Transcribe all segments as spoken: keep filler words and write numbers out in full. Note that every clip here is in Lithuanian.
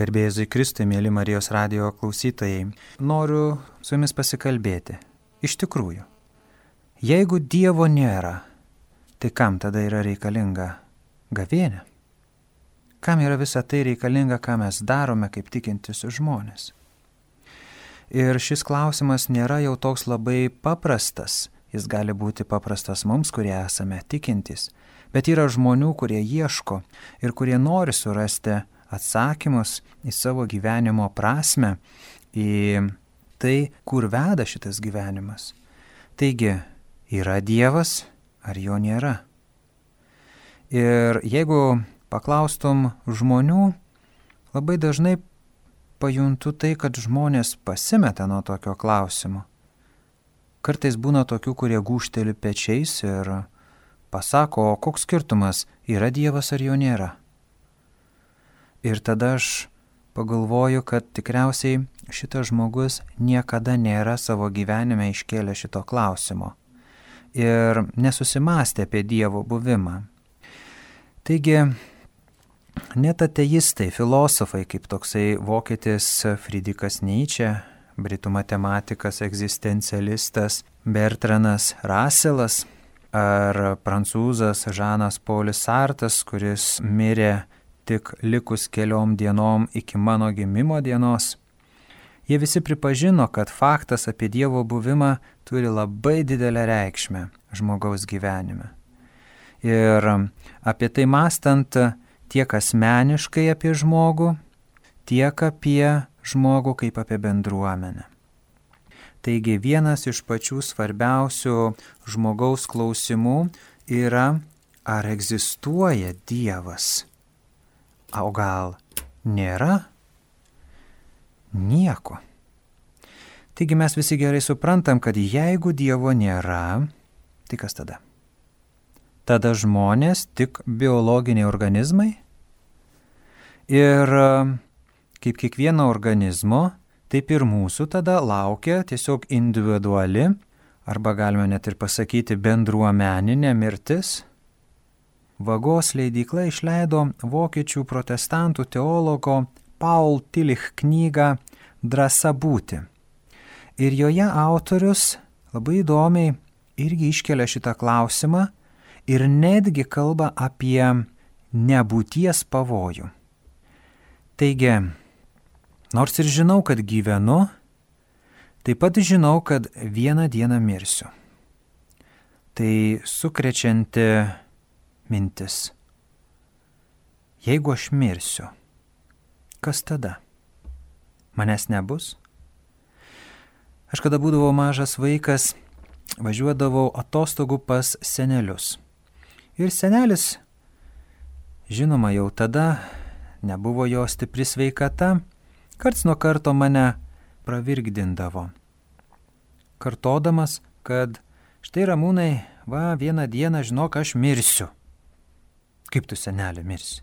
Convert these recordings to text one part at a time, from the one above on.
Garbė Jėzui Kristui, mėly Marijos radijo klausytojai, noriu su jumis pasikalbėti. Iš tikrųjų, jeigu Dievo nėra, tai kam tada yra reikalinga gavėnia? Kam yra visa tai reikalinga, ką mes darome kaip tikintis žmonės? Ir šis klausimas nėra jau toks labai paprastas. Jis gali būti paprastas mums, kurie esame tikintys, bet yra žmonių, kurie ieško ir kurie nori surasti atsakymus į savo gyvenimo prasme, į tai, kur veda šitas gyvenimas. Taigi, yra Dievas ar jo nėra? Ir jeigu paklaustum žmonių, labai dažnai pajuntu tai, kad žmonės pasimeta nuo tokio klausimo. Kartais būna tokių, kurie gūžteli pečiais ir pasako, o koks skirtumas, yra Dievas ar jo nėra. Ir tada aš pagalvoju, kad tikriausiai šitas žmogus niekada nėra savo gyvenime iškėlę šito klausimo ir nesusimastė apie Dievo buvimą. Taigi, net ateistai, filosofai, kaip toksai vokietis Friedrichas Nietzsche, britų matematikas, egzistencialistas Bertranas Russellas ar prancūzas Žanas Polis Sartas, kuris mirė tik likus keliom dienom iki mano gimimo dienos, jie visi pripažino, kad faktas apie Dievo buvimą turi labai didelę reikšmę žmogaus gyvenime. Ir apie tai mąstant tiek asmeniškai apie žmogų, tiek apie žmogų kaip apie bendruomenę. Taigi vienas iš pačių svarbiausių žmogaus klausimų yra, ar egzistuoja Dievas? O gal nėra? Nieko. Taigi mes visi gerai suprantam, kad jeigu Dievo nėra, tai kas tada? Tada žmonės tik biologiniai organizmai ir kaip kiekvieno organizmo, taip ir mūsų tada laukia tiesiog individuali, arba galime net ir pasakyti bendruomeninė mirtis. Vagos leidykla išleido vokiečių protestantų teologo Paul Tillich knygą Drąsa būti. Ir joje autorius labai įdomiai irgi iškelia šitą klausimą ir netgi kalba apie nebūties pavojų. Taigi, nors ir žinau, kad gyvenu, taip pat žinau, kad vieną dieną mirsiu. Tai sukrečianti mintis. Jeigu aš mirsiu, kas tada? Manęs nebus? Aš kada būdavau mažas vaikas, važiuodavau atostogų pas senelius. Ir senelis, žinoma, jau tada nebuvo jo stipri sveikata, karts nuo karto mane pravirkdindavo, kartodamas, kad štai Ramūnai, va, vieną dieną žinok, aš mirsiu. Kaip tu, senelė, mirsi?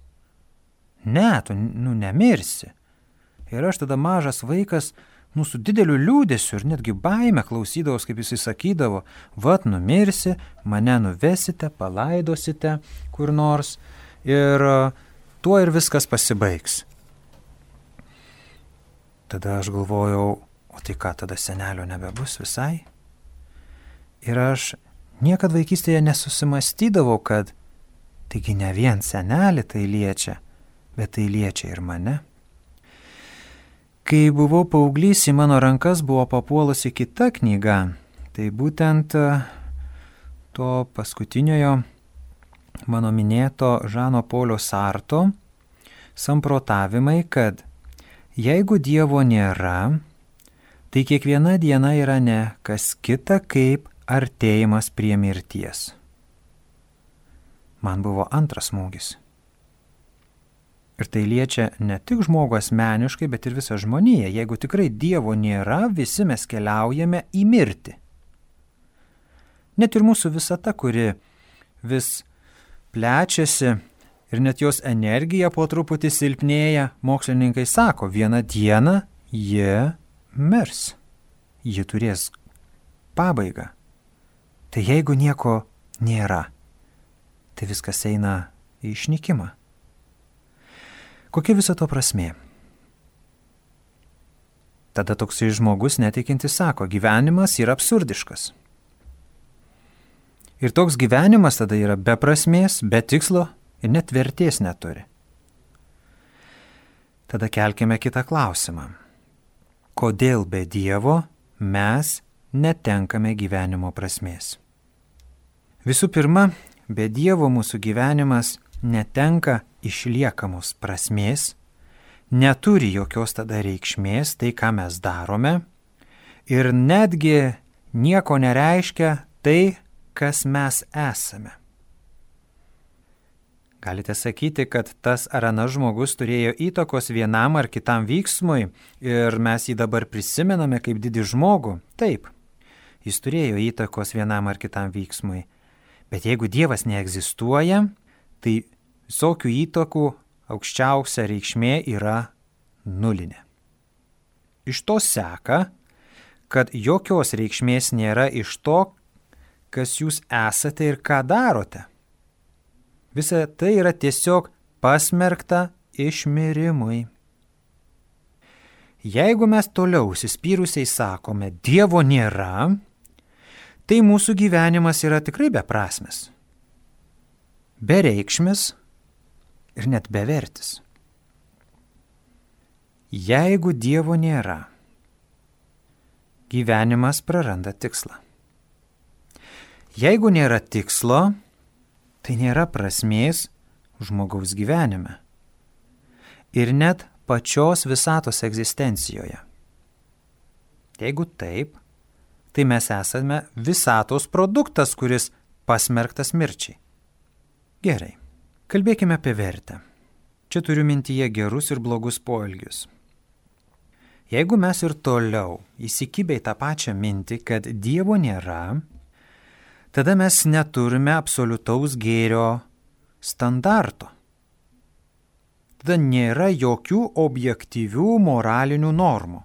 Ne, tu, nu, nemirsi. Ir aš tada mažas vaikas, nu, su dideliu liūdėsiu ir netgi baime klausydavos, kaip jis sakydavo, vat, numirsi, mane nuvesite, palaidosite kur nors ir tuo ir viskas pasibaigs. Tada aš galvojau, o tai ką, tada senelio nebebus visai? Ir aš niekad vaikystėje nesusimastydavau, kad taigi ne vien senelį tai liečia, bet tai liečia ir mane. Kai buvau paauglys, į mano rankas buvo papuolusi kita knyga, tai būtent to paskutiniojo mano minėto Žano Polio Sarto samprotavimai, kad jeigu Dievo nėra, tai kiekviena diena yra ne kas kita kaip artėjimas prie mirties. Man buvo antras smūgis. Ir tai liečia ne tik žmogų asmeniškai, bet ir visą žmoniją. Jeigu tikrai Dievo nėra, visi mes keliaujame į mirtį. Net ir mūsų visata, kuri vis plečiasi ir net jos energija po truputį silpnėja, mokslininkai sako, vieną dieną jie mirs. Ji turės pabaigą. Tai jeigu nieko nėra, tai viskas eina į išnykimą. Kokia viso to prasmė? Tada toksai žmogus netikintis sako, gyvenimas yra absurdiškas. Ir toks gyvenimas tada yra be prasmės, be tikslo ir net vertės neturi. Tada kelkime kitą klausimą. Kodėl be Dievo mes netenkame gyvenimo prasmės? Visų pirma, be Dievo mūsų gyvenimas netenka išliekamos prasmės, neturi jokios tada reikšmės tai, ką mes darome, ir netgi nieko nereiškia tai, kas mes esame. Galite sakyti, kad tas ar anas žmogus turėjo įtakos vienam ar kitam veiksmui ir mes jį dabar prisimename kaip didį žmogų. Taip, jis turėjo įtakos vienam ar kitam veiksmui. Bet jeigu Dievas neegzistuoja, tai visokių įtakų aukščiausia reikšmė yra nulinė. Iš to seka, kad jokios reikšmės nėra iš to, kas jūs esate ir ką darote. Visa tai yra tiesiog pasmerkta išmirimui. Jeigu mes toliau užsispyrusiai sakome, Dievo nėra, tai mūsų gyvenimas yra tikrai beprasmis, bereikšmis ir net bevertis. Jeigu Dievo nėra, gyvenimas praranda tikslą. Jeigu nėra tikslo, tai nėra prasmės žmogaus gyvenime ir net pačios visatos egzistencijoje. Jeigu taip, tai mes esame visatos produktas, kuris pasmerktas mirčiai. Gerai, kalbėkime apie vertę. Čia turiu mintyje gerus ir blogus poelgius. Jeigu mes ir toliau įsikibę į tą pačią mintį, kad Dievo nėra, tada mes neturime absoliutaus gėrio standarto. Tada nėra jokių objektyvių moralinių normų.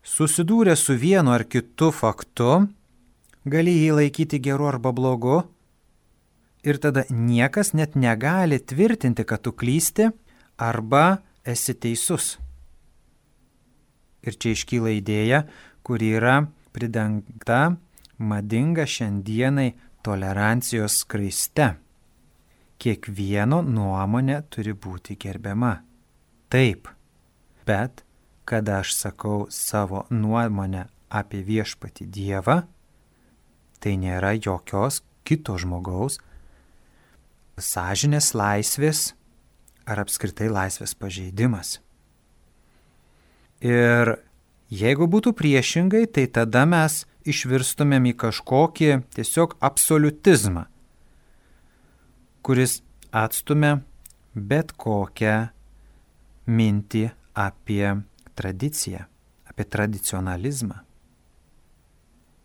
Susidūrę su vienu ar kitu faktu, gali jį laikyti geru arba blogu, ir tada niekas net negali tvirtinti, kad tu klysti arba esi teisus. Ir čia iškyla idėja, kuri yra pridengta madinga šiandienai tolerancijos skraiste. Kiekvieno nuomonė turi būti gerbiama. Taip, bet kada aš sakau savo nuomonę apie viešpatį Dievą, tai nėra jokios kito žmogaus sąžinės laisvės ar apskritai laisvės pažeidimas. Ir jeigu būtų priešingai, tai tada mes išvirstumėm į kažkokį tiesiog absoliutizmą, kuris atstumia bet kokią mintį apie tradiciją, apie tradicionalizmą.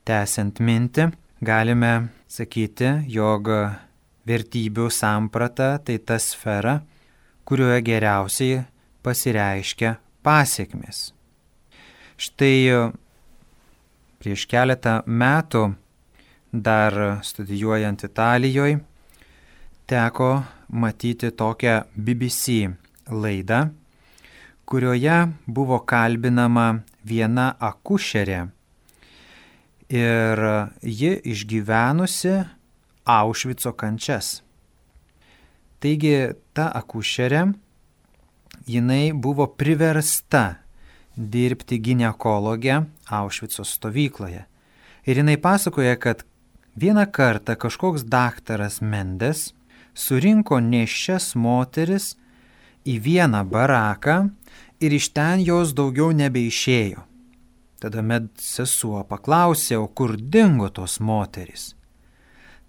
Tęsiant mintį, galime sakyti, jog vertybių samprata tai ta sfera, kurioje geriausiai pasireiškia pasiekmės. Štai prieš keletą metų, dar studijuojant Italijoje, teko matyti tokią B B C laidą, kurioje buvo kalbinama viena akušerė ir ji išgyvenusi Aušvico kančias. Taigi ta akušerė, jinai buvo priversta dirbti ginekologę Aušvico stovykloje. Ir jinai pasakoja, kad vieną kartą kažkoks daktaras Mendes surinko nėščias moteris į vieną baraką ir iš ten jos daugiau nebeišėjo. Tada medsesuo paklausė, o kur dingo tos moterys?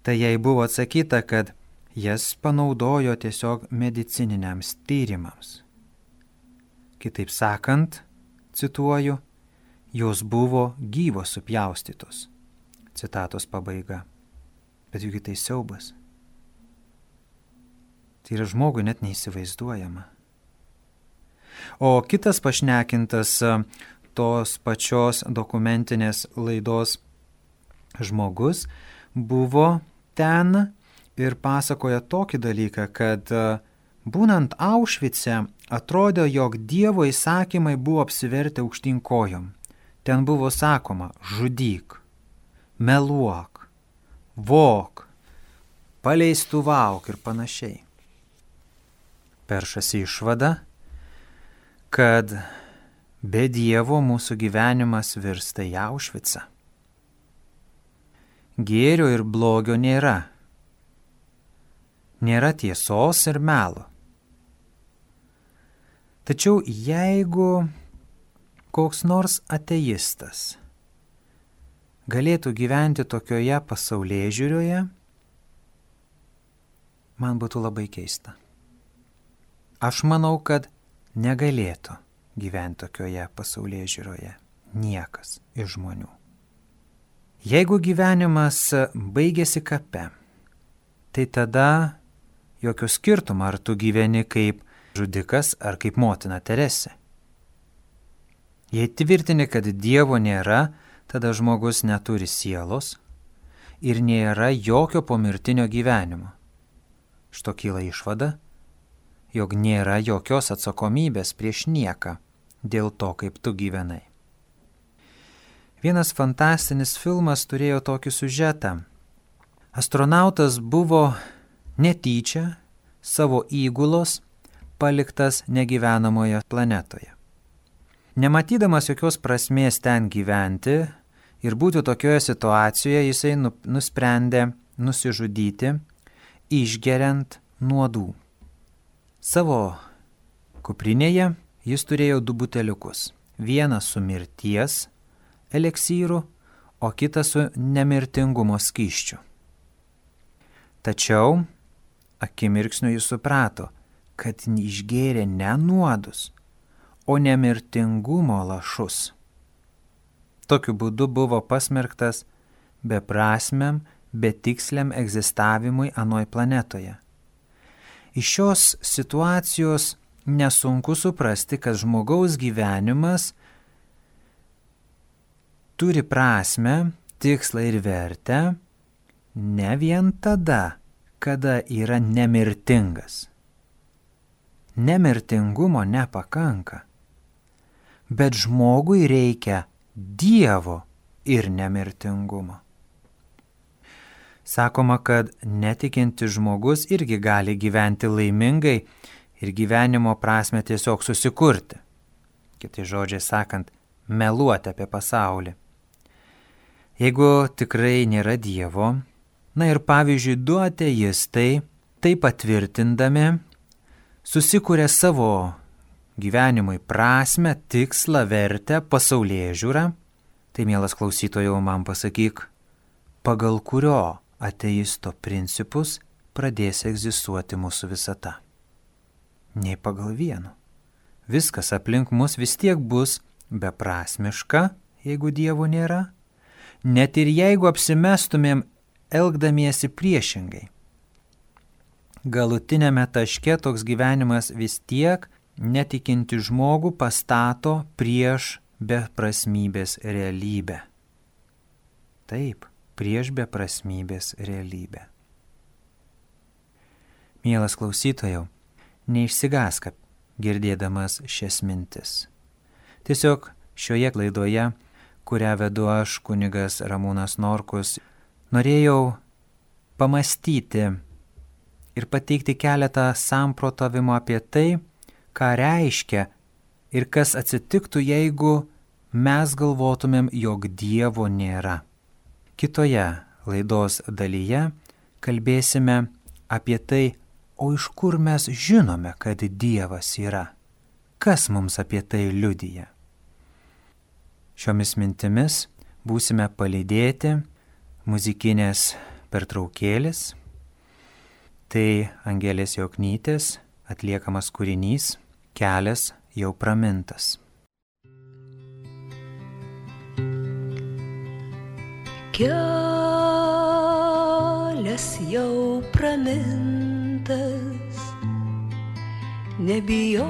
Tai jai buvo atsakyta, kad jas panaudojo tiesiog medicininiams tyrimams. Kitaip sakant, cituoju, jos buvo gyvos supjaustytos. Citatos pabaiga. Bet juk tai siaubas. Tai yra žmogui net neįsivaizduojama. O kitas pašnekintas tos pačios dokumentinės laidos žmogus buvo ten ir pasakoja tokį dalyką, kad Būnant Aušvice, atrodo, jog Dievo įsakymai buvo apsivertę aukštyn kojom. Ten buvo sakoma: žudyk, meluok, vok, paleistuvauk ir panašiai. Peršasi išvada, kad be Dievo mūsų gyvenimas virsta į Aušvicą. Gėrio ir blogio nėra. Nėra tiesos ir melo. Tačiau jeigu koks nors ateistas galėtų gyventi tokioje pasaulėžiūroje, man būtų labai keista. Aš manau, kad negalėtų gyventi tokioje pasaulėžiūroje niekas iš žmonių. Jeigu gyvenimas baigėsi kape, tai tada jokio skirtumo, ar tu gyveni kaip žudikas ar kaip motina Teresė. Jei tvirtini, kad Dievo nėra, tada žmogus neturi sielos ir nėra jokio pomirtinio gyvenimo. Šito kyla išvada, jog nėra jokios atsakomybės prieš nieką dėl to, kaip tu gyvenai. Vienas fantastinis filmas turėjo tokį siužetą. Astronautas buvo netyčia savo įgulos paliktas negyvenamoje planetoje. Nematydamas jokios prasmės ten gyventi ir būti tokioje situacijoje, jisai nusprendė nusižudyti, išgeriant nuodų. Savo kuprinėje jis turėjo du buteliukus. Vieną su mirties eleksyru, o kitą su nemirtingumo skysčiu. Tačiau akimirksniu jis suprato, kad išgėrė ne nuodus, o nemirtingumo lašus. Tokiu būdu buvo pasmerktas beprasmiam, betiksliam egzistavimui anoj planetoje. Iš šios situacijos nesunku suprasti, kad žmogaus gyvenimas turi prasmę, tikslą ir vertę ne vien tada, kada yra nemirtingas. Nemirtingumo nepakanka, bet žmogui reikia Dievo ir nemirtingumo. Sakoma, kad netikintis žmogus irgi gali gyventi laimingai ir gyvenimo prasme tiesiog susikurti. Kitai žodžiai sakant, meluoti apie pasaulį. Jeigu tikrai nėra Dievo, na ir pavyzdžiui, du ateistai, tai patvirtindami, susikuria savo gyvenimui prasmę, tikslą, vertę, pasaulėžiūrą, tai mielas klausytojau, man pasakyk, pagal kurio ateisto principus pradės egzistuoti mūsų visata. Nei pagal vieno. Viskas aplink mus vis tiek bus beprasmiška, jeigu Dievo nėra, net ir jeigu apsimestumėm elgdamiesi priešingai. Galutinėme taške toks gyvenimas vis tiek netikinti žmogų pastato prieš beprasmybės realybę. Taip, prieš beprasmybės realybę. Mielas klausytojau, neišsigąsk girdėdamas šias mintis. Tiesiog šioje laidoje, kurią vedu aš, kunigas Ramūnas Norkus, norėjau pamastyti ir pateikti keletą samprotavimų apie tai, ką reiškia ir kas atsitiktų, jeigu mes galvotumėm, jog Dievo nėra. Kitoje laidos dalyje kalbėsime apie tai, o iš kur mes žinome, kad Dievas yra. Kas mums apie tai liudija? Šiomis mintimis būsime palydėti muzikinės pertraukėlės. Tai Angelės Joknytės atliekamas kūrinys Kelias jau pramintas. Kelias jau pramintas, nebijok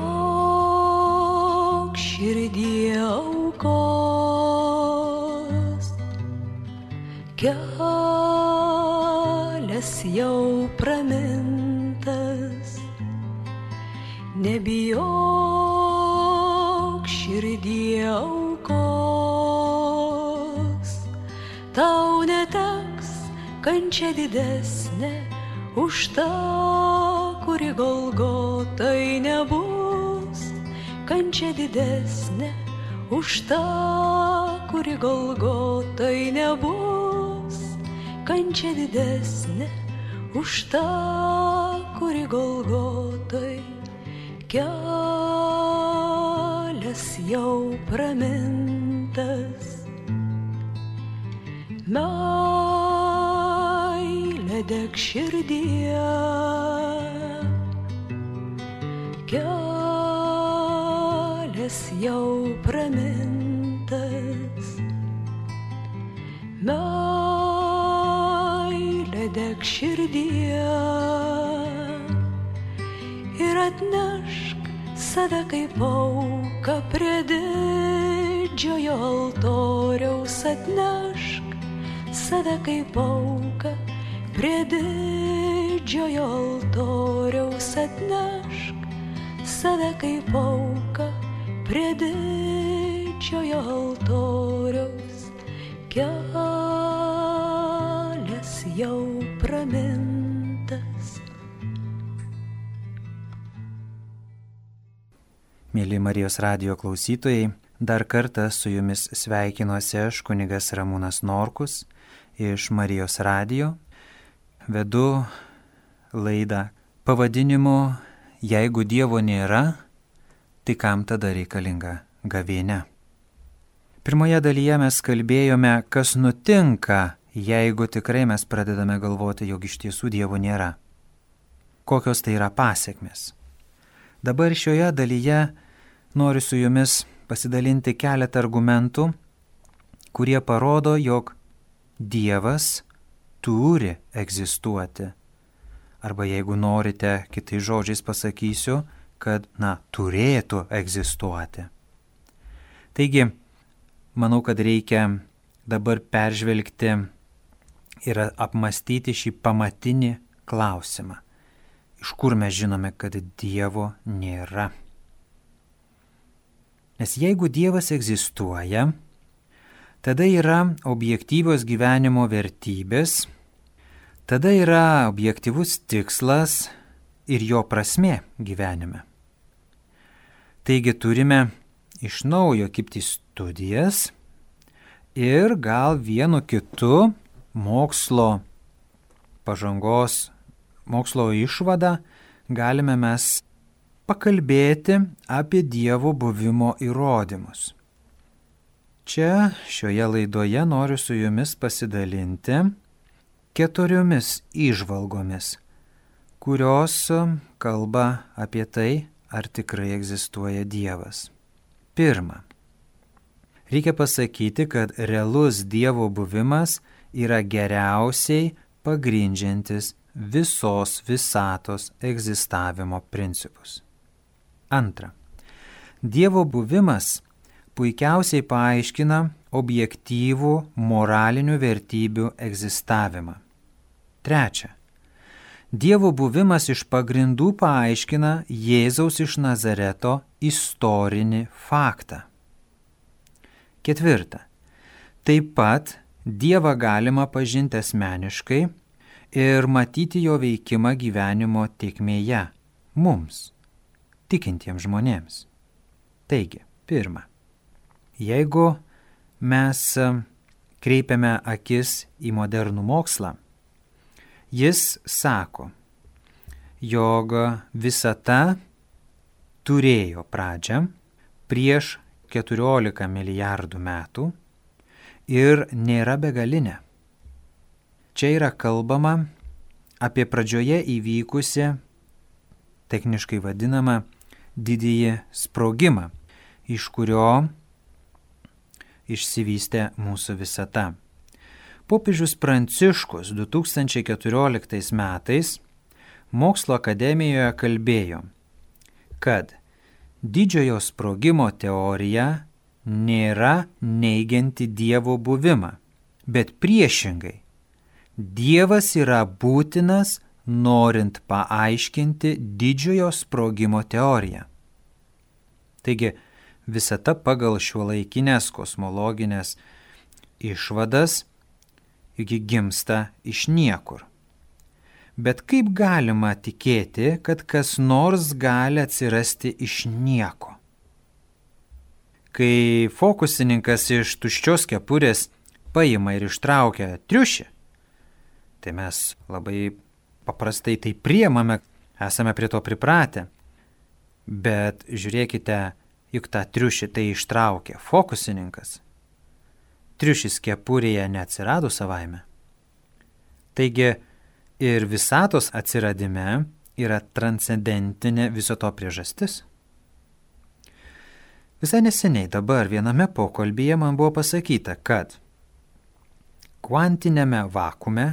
širdie aukos. Kelias jau pramintas, nebijok širdie aukos, tau neteks kančia didesnė už tą, kuri Golgotai nebus, kančia didesnė už tą, kuri Golgotai nebus, kančia didesnė už tą, kuri Golgotai. Kelias jau pramintas, meilė deg širdyje, kelias jau pramintas, meilė deg širdyje ir atnešk save kaip auką prie didžiojo altoriaus, atnešk save kaip auką prie didžiojo altoriaus, atnešk save kaip auką prie didžiojo altoriaus. Kelias jau pramintas. Mėly Marijos radijo klausytojai, dar kartą su jumis sveikinuosi aš, kunigas Ramūnas Norkus, iš Marijos radijo. Vedu laidą pavadinimu Jeigu Dievo nėra, tai kam tada reikalinga gavėnia? Pirmoje dalyje mes kalbėjome, kas nutinka, jeigu tikrai mes pradedame galvoti, jog iš tiesų Dievo nėra. Kokios tai yra pasekmės? Dabar šioje dalyje noriu su jumis pasidalinti keletą argumentų, kurie parodo, jog Dievas turi egzistuoti. Arba jeigu norite, kitais žodžiais pasakysiu, kad, na, turėtų egzistuoti. Taigi, manau, kad reikia dabar peržvelgti ir apmastyti šį pamatinį klausimą. Iš kur mes žinome, kad Dievo nėra? Nes jeigu Dievas egzistuoja, tada yra objektyvios gyvenimo vertybės, tada yra objektyvus tikslas ir jo prasmė gyvenime. Taigi turime iš naujo kibti studijas ir gal vienu kitu mokslo pažangos, mokslo išvadą galime mes pakalbėti apie Dievo buvimo įrodymus. Čia šioje laidoje noriu su jumis pasidalinti keturiomis įžvalgomis, kurios kalba apie tai, ar tikrai egzistuoja Dievas. Pirma, reikia pasakyti, kad realus Dievo buvimas yra geriausiai pagrindžiantis visos visatos egzistavimo principus. Antra, Dievo buvimas puikiausiai paaiškina objektyvų moralinių vertybių egzistavimą. Trečia, Dievo buvimas iš pagrindų paaiškina Jėzaus iš Nazareto istorinį faktą. Ketvirta, taip pat Dievą galima pažinti asmeniškai ir matyti jo veikimą gyvenimo tėkmėje mums, tikintiems žmonėms. Taigi, pirma, jeigu mes kreipiame akis į modernų mokslą, jis sako, jog visata turėjo pradžią prieš keturiolika milijardų metų ir nėra begalinė. Čia yra kalbama apie pradžioje įvykusią, techniškai vadinamą, didįjį sprogimą, iš kurio išsivystė mūsų visata. Popiežius Pranciškus du tūkstančiai keturioliktais metais Mokslo akademijoje kalbėjo, kad didžiojo sprogimo teorija nėra neigianti Dievo buvimą, bet priešingai, Dievas yra būtinas norint paaiškinti didžiojo sprogimo teoriją. Taigi, visata pagal šiuolaikinės kosmologinės išvadas juk gimsta iš niekur. Bet kaip galima tikėti, kad kas nors gali atsirasti iš nieko? Kai fokusininkas iš tuščios kepurės paima ir ištraukia triušį, tai mes labai paprastai tai priemame, esame prie to pripratę. Bet žiūrėkite, juk tą triušį tai ištraukė fokusininkas. Triušis kepurėje neatsirado savaime. Taigi ir visatos atsiradime yra transcendentinė viso to priežastis. Visai neseniai dabar viename pokalbyje man buvo pasakyta, kad kvantinėme vakume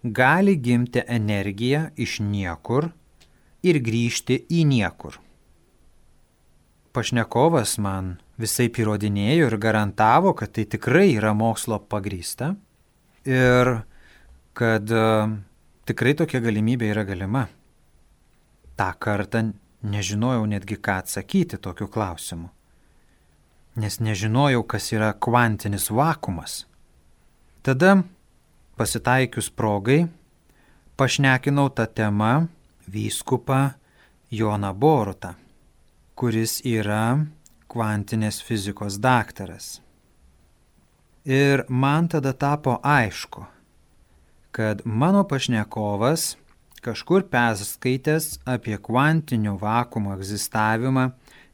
gali gimti energija iš niekur ir grįžti į niekur. Pašnekovas man visai įrodinėjo ir garantavo, kad tai tikrai yra mokslo pagrįsta ir kad uh, tikrai tokia galimybė yra galima. Ta kartą nežinojau netgi ką atsakyti tokiu klausimu, nes nežinojau, kas yra kvantinis vakumas. Tada, pasitaikius progai, pašnekinau tą temą vyskupą Joną Borutą, kuris yra kvantinės fizikos daktaras. Ir man tada tapo aišku, kad mano pašnekovas kažkur perskaitęs apie kvantinio vakumo egzistavimą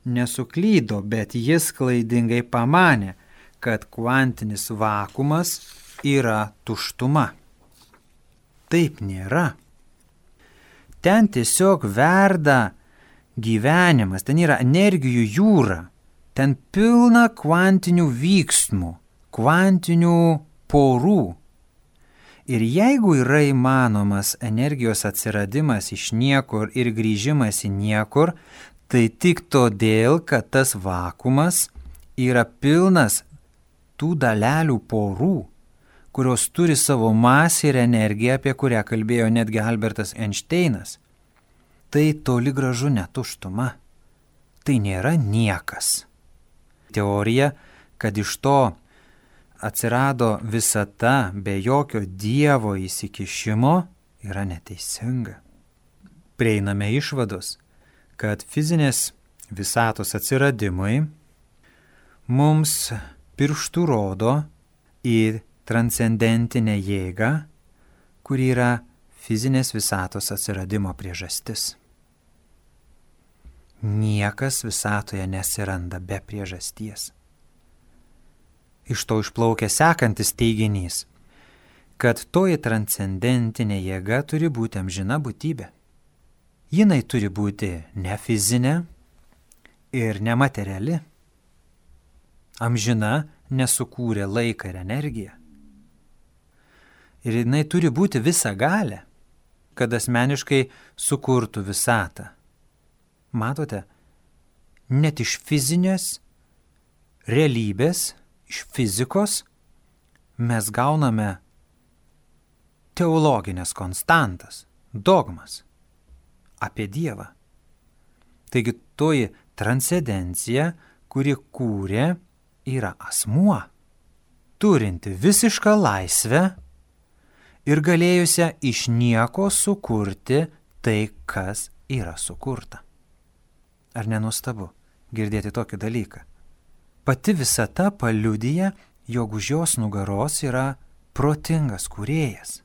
nesuklydo, bet jis klaidingai pamanė, kad kvantinis vakumas yra tuštuma. Taip nėra. Ten tiesiog verda gyvenimas, ten yra energijų jūra, ten pilna kvantinių vyksmų, kvantinių porų. Ir jeigu yra įmanomas energijos atsiradimas iš niekur ir grįžimas į niekur, tai tik todėl, kad tas vakumas yra pilnas tų dalelių porų, kurios turi savo masę ir energiją, apie kurią kalbėjo netgi Albertas Einšteinas. Tai toli gražu ne tuštuma. Tai nėra niekas. Teorija, kad iš to atsirado visata be jokio Dievo įsikišimo, yra neteisinga. Prieiname išvados, kad fizinės visatos atsiradimui mums pirštų rodo į transcendentinę jėgą, kuri yra fizinės visatos atsiradimo priežastis. Niekas visatoje nesiranda be priežasties. Iš to išplaukia sekantis teiginys, kad toji transcendentinė jėga turi būti amžina būtybė. Jinai turi būti ne fizinė ir nemateriali. Amžina nesukūrė laiką ir energiją. Ir jinai turi būti visagalė, kad asmeniškai sukurtų visatą. Matote, net iš fizinės realybės, iš fizikos mes gauname teologinės konstantas, dogmas apie Dievą. Taigi toji transcendencija, kuri kūrė, yra asmuo, turinti visišką laisvę ir galėjusią iš nieko sukurti tai, kas yra sukurta. Ar nenuostabu girdėti tokį dalyką? Pati visata paliudija, jog už jos nugaros yra protingas kūrėjas.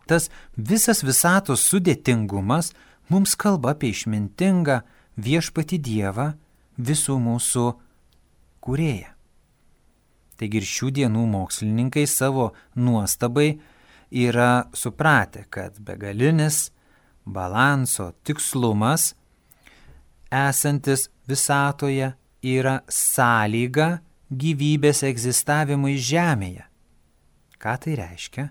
Tas visas visatos sudėtingumas mums kalba apie išmintingą viešpatį Dievą, visų mūsų kūrėją. Taigi ir šių dienų mokslininkai savo nuostabai yra supratę, kad begalinis balanso tikslumas esantis visatoje yra sąlyga gyvybės egzistavimui Žemėje. Ką tai reiškia?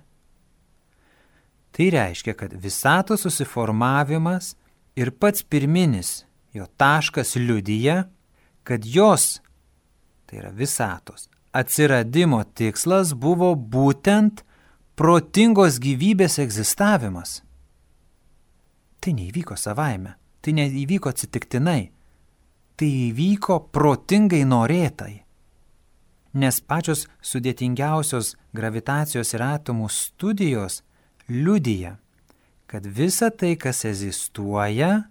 Tai reiškia, kad visatos susiformavimas ir pats pirminis jo taškas liudija, kad jos, tai yra visatos, atsiradimo tikslas buvo būtent protingos gyvybės egzistavimas. Tai neįvyko savaime, tai neįvyko atsitiktinai, tai įvyko protingai norėtai. Nes pačios sudėtingiausios gravitacijos ir atomų studijos liudija, kad visa tai, kas egzistuoja,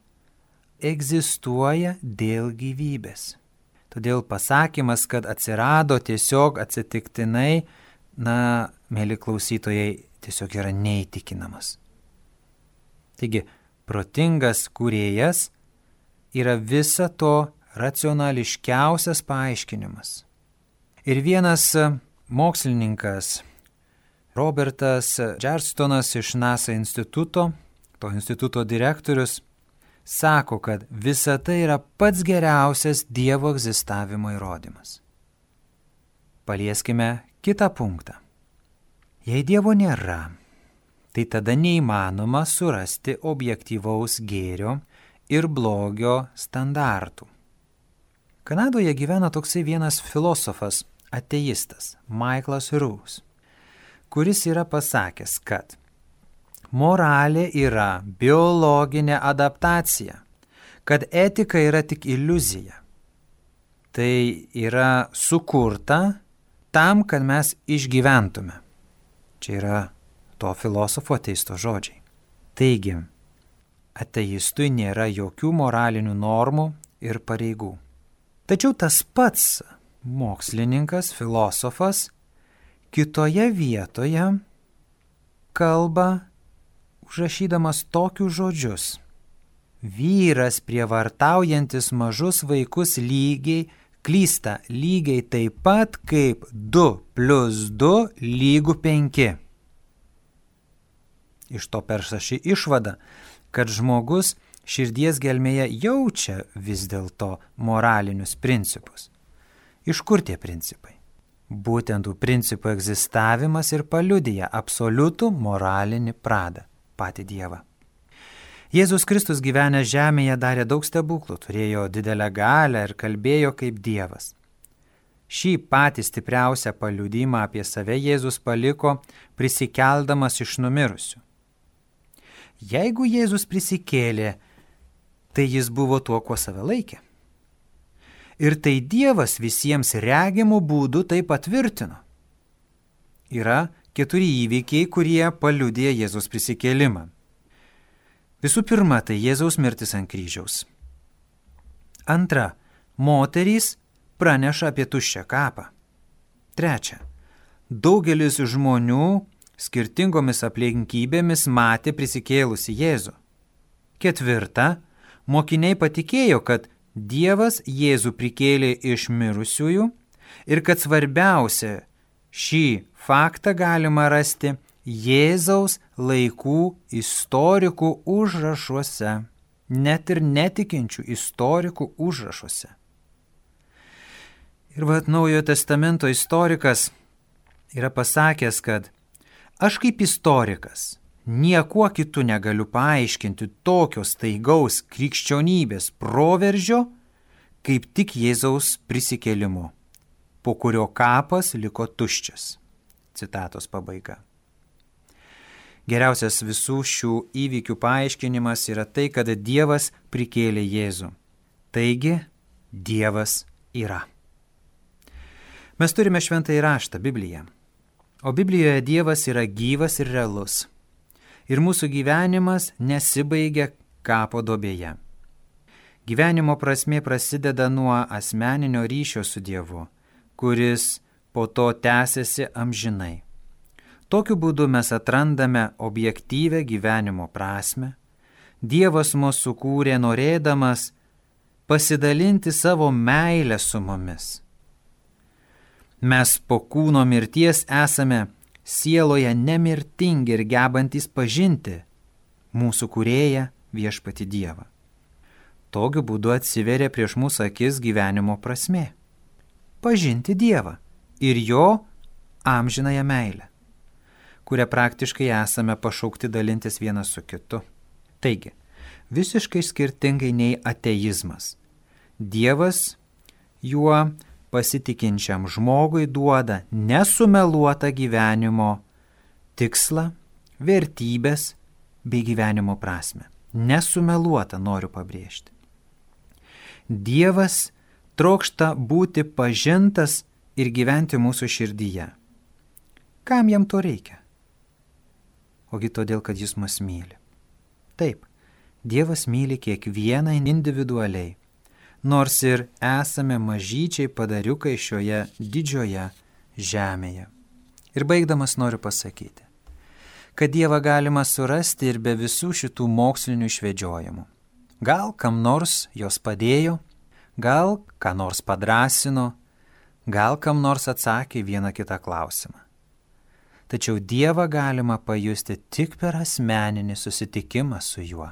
egzistuoja dėl gyvybės. Todėl pasakymas, kad atsirado tiesiog atsitiktinai, na, mėly klausytojai, tiesiog yra neįtikinamas. Taigi, protingas kūrėjas yra visa to racionališkiausias paaiškinimas. Ir vienas mokslininkas, Robertas Džerstonas iš NASA instituto, to instituto direktorius, sako, kad visa tai yra pats geriausias Dievo egzistavimo įrodymas. Palieskime kitą punktą. Jei Dievo nėra, tai tada neįmanoma surasti objektyvaus gėrio ir blogio standartų. Kanadoje gyvena toksai vienas filosofas, ateistas, Michaelas Ruse, kuris yra pasakęs, kad moralė yra biologinė adaptacija, kad etika yra tik iliuzija. Tai yra sukurta tam, kad mes išgyventume. Čia yra to filosofo ateisto žodžiai. Taigi, ateistui nėra jokių moralinių normų ir pareigų. Tačiau tas pats mokslininkas, filosofas, kitoje vietoje kalba užrašydamas tokius žodžius. Vyras prievartaujantis mažus vaikus lygiai klysta lygiai taip pat kaip du plius du lygu penki. Iš to peršasi išvada, kad žmogus širdies gelmėje jaučia vis dėlto moralinius principus. Iš kur tie principai? Būtent tų principų egzistavimas ir paliudija absoliutų moralinį pradą, patį Dievą. Jėzus Kristus gyvenęs žemėje darė daug stebuklų, turėjo didelę galią ir kalbėjo kaip Dievas. Šį patį stipriausią paliudymą apie save Jėzus paliko prisikeldamas iš numirusių. Jeigu Jėzus prisikėlė, tai jis buvo tuo, kuo save laikė. Ir tai Dievas visiems regimų būdų tai patvirtino. Yra keturi įvykiai, kurie paliudija Jėzus prisikėlimą. Visų pirma, tai Jėzaus mirtis ant kryžiaus. Antra, moterys praneša apie tuščią kapą. Trečia, daugelis žmonių skirtingomis aplinkybėmis matė prisikėlusi Jėzų. Ketvirta, mokiniai patikėjo, kad Dievas Jėzų prikėlė iš mirusiųjų ir kad svarbiausia, šį faktą galima rasti Jėzaus laikų istorikų užrašuose, net ir netikinčių istorikų užrašuose. Ir vat Naujojo testamento istorikas yra pasakęs, kad aš kaip istorikas niekuo kitu negaliu paaiškinti tokio staigaus krikščionybės proveržio, kaip tik Jėzaus prisikėlimu, po kurio kapas liko tuščias. Citatos pabaiga. Geriausias visų šių įvykių paaiškinimas yra tai, kad Dievas prikėlė Jėzų. Taigi, Dievas yra. Mes turime šventąjį raštą, Bibliją. O Biblijoje Dievas yra gyvas ir realus. Ir mūsų gyvenimas nesibaigia kapo duobėje. Gyvenimo prasmė prasideda nuo asmeninio ryšio su Dievu, kuris po to tęsiasi amžinai. Tokiu būdu mes atrandame objektyvę gyvenimo prasmę. Dievas mus sukūrė norėdamas pasidalinti savo meilę su mumis. Mes po kūno mirties esame sieloje nemirtingi ir gebantys pažinti mūsų kūrėją viešpatį Dievą. Tokiu būdu atsiveria prieš mūsų akis gyvenimo prasmė. Pažinti Dievą ir jo amžinąją meilę, kurią praktiškai esame pašaukti dalintis vienas su kitu. Taigi, visiškai skirtingai nei ateizmas. Dievas juo pasitikinčiam žmogui duoda nesumeluotą gyvenimo tikslą, vertybės bei gyvenimo prasme. Nesumeluota, noriu pabrėžti. Dievas trokšta būti pažintas ir gyventi mūsų širdyje. Kam jam to reikia? Ogi todėl, kad jis mus myli. Taip, Dievas myli kiekvieną individualiai, nors ir esame mažyčiai padariukai šioje didžioje žemėje. Ir baigdamas noriu pasakyti, kad Dievą galima surasti ir be visų šitų mokslinių išvedžiojimų. Gal kam nors jos padėjo, gal ką nors padrasino, gal kam nors atsakė vieną kitą klausimą. Tačiau Dievą galima pajusti tik per asmeninį susitikimą su juo.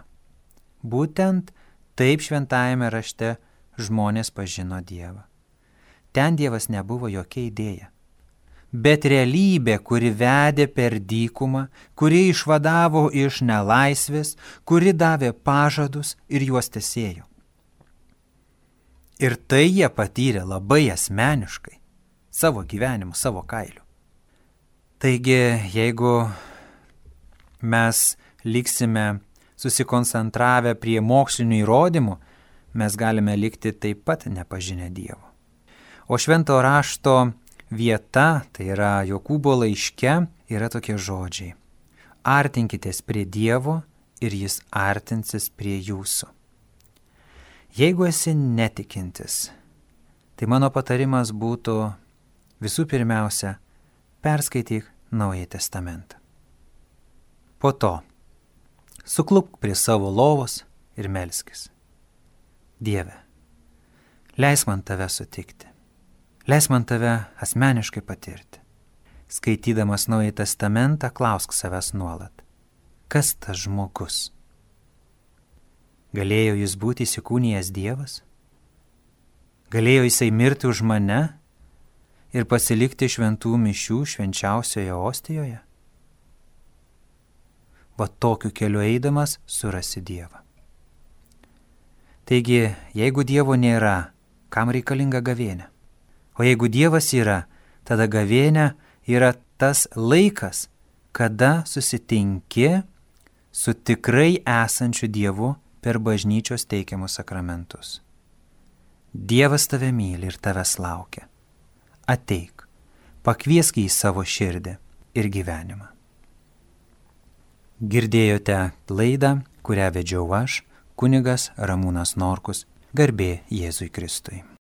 Būtent taip šventajame rašte žmonės pažino Dievą. Ten Dievas nebuvo jokia idėja, bet realybė, kuri vedė per dykumą, kuri išvadavo iš nelaisvės, kuri davė pažadus ir juos tesėjo. Ir tai jie patyrė labai asmeniškai, savo gyvenimu, savo kailiu. Taigi, jeigu mes liksime susikoncentravę prie mokslinių įrodymų, mes galime likti taip pat nepažinę Dievo. O švento rašto vieta, tai yra Jokūbo laiške, yra tokie žodžiai. Artinkitės prie Dievo ir jis artinsis prie jūsų. Jeigu esi netikintis, tai mano patarimas būtų visų pirmiausia, perskaityk Naująjį testamentą. Po to suklupk prie savo lovos ir melskis. Dieve, leis man tave sutikti, leis man tave asmeniškai patirti. Skaitydamas Naująjį testamentą, klausk savęs nuolat, kas tas žmogus? Galėjo jis būti įsikūnijęs Dievas? Galėjo jisai mirti už mane ir pasilikti šventų mišių švenčiausioje ostijoje? Va tokiu keliu eidamas surasi Dievą. Taigi, jeigu Dievo nėra, kam reikalinga gavėnia? O jeigu Dievas yra, tada gavėnia yra tas laikas, kada susitinki su tikrai esančiu Dievu per bažnyčios teikiamus sakramentus. Dievas tave myli ir tavęs laukia. Ateik, pakviesk į savo širdį ir gyvenimą. Girdėjote laidą, kurią vedžiau aš, kunigas Ramūnas Norkus, garbė Jėzui Kristui.